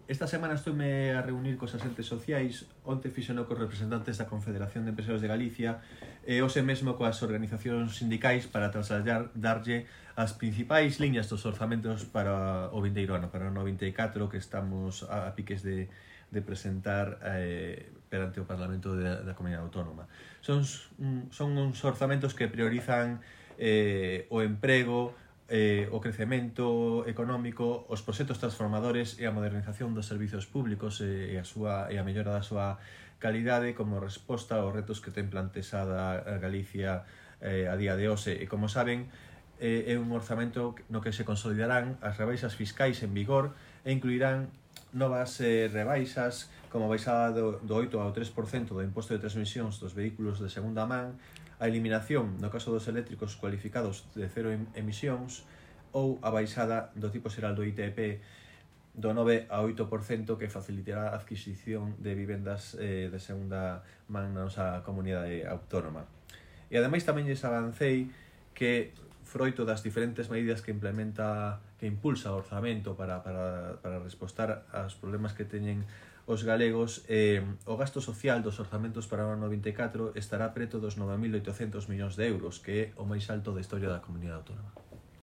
Esta semana estuve a reunir cos asentes sociais, onte fixeno cos representantes da Confederación de Empresarios de Galicia e hoxe mesmo coas organizacións sindicais para darlle as principais liñas dos orzamentos para o vindeiro ano, para o 94, que estamos a piques de presentar perante o Parlamento da Comunidade Autónoma. Son uns orzamentos que priorizan o emprego, o crecemento económico, os proxectos transformadores e a modernización dos servizos públicos e a mellora da súa calidade como resposta aos retos que ten plantexada a Galicia a día de hoxe. E como saben, é un orzamento no que se consolidarán as rebaixas fiscais en vigor e incluirán novas rebaixas como a baixada do 8 ao 3% do imposto de transmisións dos vehículos de segunda man, a eliminación, no caso dos eléctricos cualificados de cero emisións, ou a baixada do tipo xeral do ITP do 9 a 8% que facilitará a adquisición de vivendas de segunda man na nosa comunidade autónoma. E ademais tamén lles avancei que, froito das diferentes medidas que impulsa o orzamento para respostar aos problemas que teñen os galegos, o gasto social dos orzamentos para o ano 94 estará preto dos 9.800 millóns de euros, que é o máis alto da historia da comunidade autónoma.